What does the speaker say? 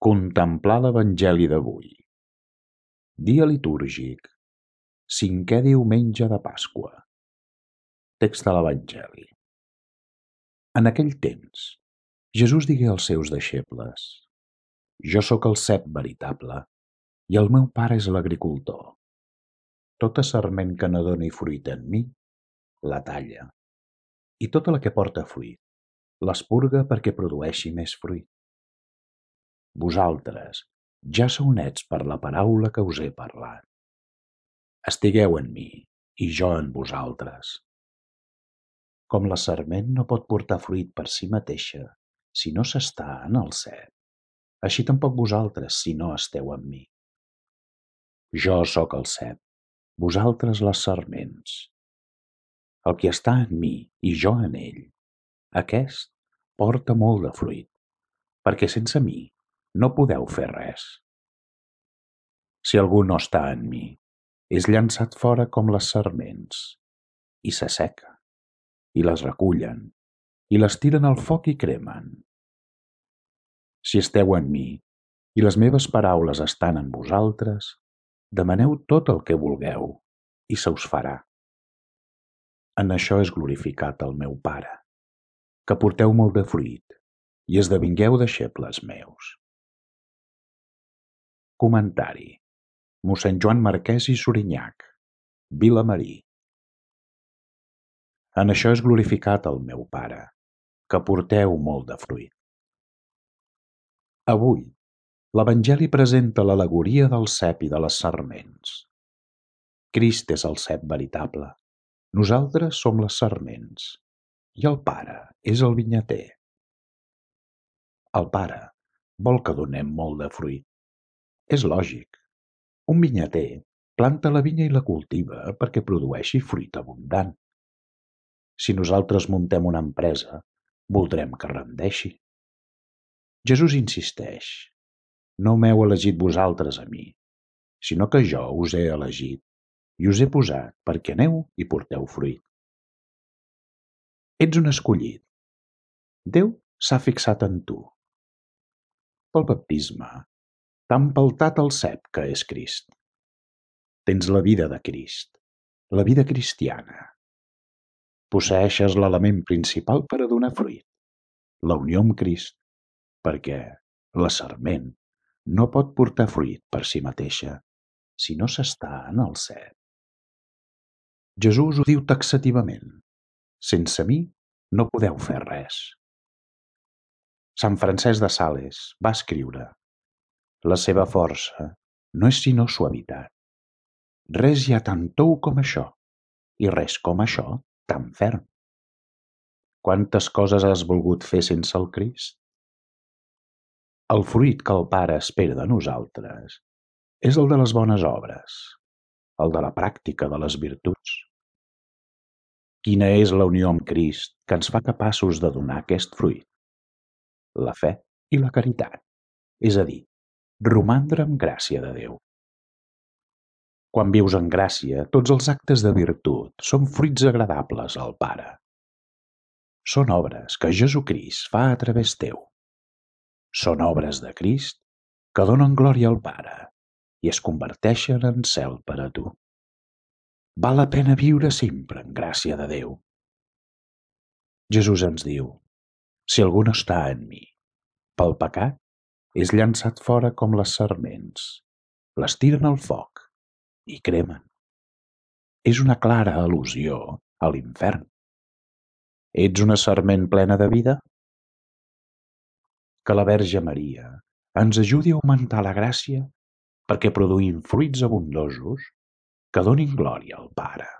Contemplar l'Evangeli d'avui. Dia litúrgic, 5è diumenge de Pasqua. Text de l'Evangeli. En aquell temps, Jesús digué als seus deixebles: Jo sóc el cep veritable, i el meu Pare és l'agricultor. Tota sarment que no doni fruit en mi, la talla, i tota la que porta fruit, l'espurga perquè produeixi més fruit. Vosaltres ja sou nets per la paraula que us he parlat. Estigueu en mi, i jo en vosaltres. Com la sarment no pot portar fruit per si mateixa si no s'està en el cep, així tampoc vosaltres si no esteu en mi. Jo sóc el cep, vosaltres les sarments. El qui està en mi i jo en ell, aquest porta molt de fruit, perquè sense mi no podeu fer res. Si algú no està en mi, és llançat fora com les sarments, i s'asseca, i les recullen, i les tiren al foc i cremen. Si esteu en mi, i les meves paraules estan en vosaltres, demaneu tot el que vulgueu, i se us farà. En això és glorificat el meu Pare, que porteu molt de fruit, i esdevingueu deixebles meus. Comentari: mossèn Joan Marquès i Sorinyac, Vilamarí. En això és glorificat el meu Pare, que porteu molt de fruit. Avui, l'Evangeli presenta l'al·legoria del cep i de les sarments. Crist és el cep veritable, nosaltres som les sarments, i el Pare és el vinyater. El Pare vol que donem molt de fruit. És lògic. Un vinyater planta la vinya i la cultiva perquè produeixi fruit abundant. Si nosaltres muntem una empresa, voldrem que rendeixi. Jesús insisteix: no m'heu elegit vosaltres a mi, sinó que jo us he elegit i us he posat perquè aneu i porteu fruit. Ets un escollit. Déu s'ha fixat en tu. Pel baptisme t'ha empeltat el cep que és Crist. Tens la vida de Crist, la vida cristiana. Posseeixes l'element principal per a donar fruit, la unió amb Crist, perquè la sarment no pot portar fruit per si mateixa si no s'està en el cep. Jesús ho diu taxativament: sense mi no podeu fer res. Sant Francesc de Sales va escriure: la seva força no és sinó suavitat. Res hi ha tan tou com això, i res com això tan ferm. Quantes coses has volgut fer sense el Crist? El fruit que el Pare espera de nosaltres és el de les bones obres, el de la pràctica de les virtuts. Quina és la unió amb Crist que ens fa capaços de donar aquest fruit? La fe i la caritat, és a dir, romandre en gràcia de Déu. Quan vius en gràcia, tots els actes de virtut són fruits agradables al Pare. Són obres que Jesucrist fa a través teu. Són obres de Crist que donen glòria al Pare i es converteixen en cel per a tu. Val la pena viure sempre en gràcia de Déu. Jesús ens diu: si algú no està en mi, pel pecat, és llançat fora com les sarments, les tiren al foc i cremen. És una clara al·lusió a l'infern. Ets una sarment plena de vida? Que la Verge Maria ens ajudi a augmentar la gràcia perquè produïm fruits abundosos que donin glòria al Pare.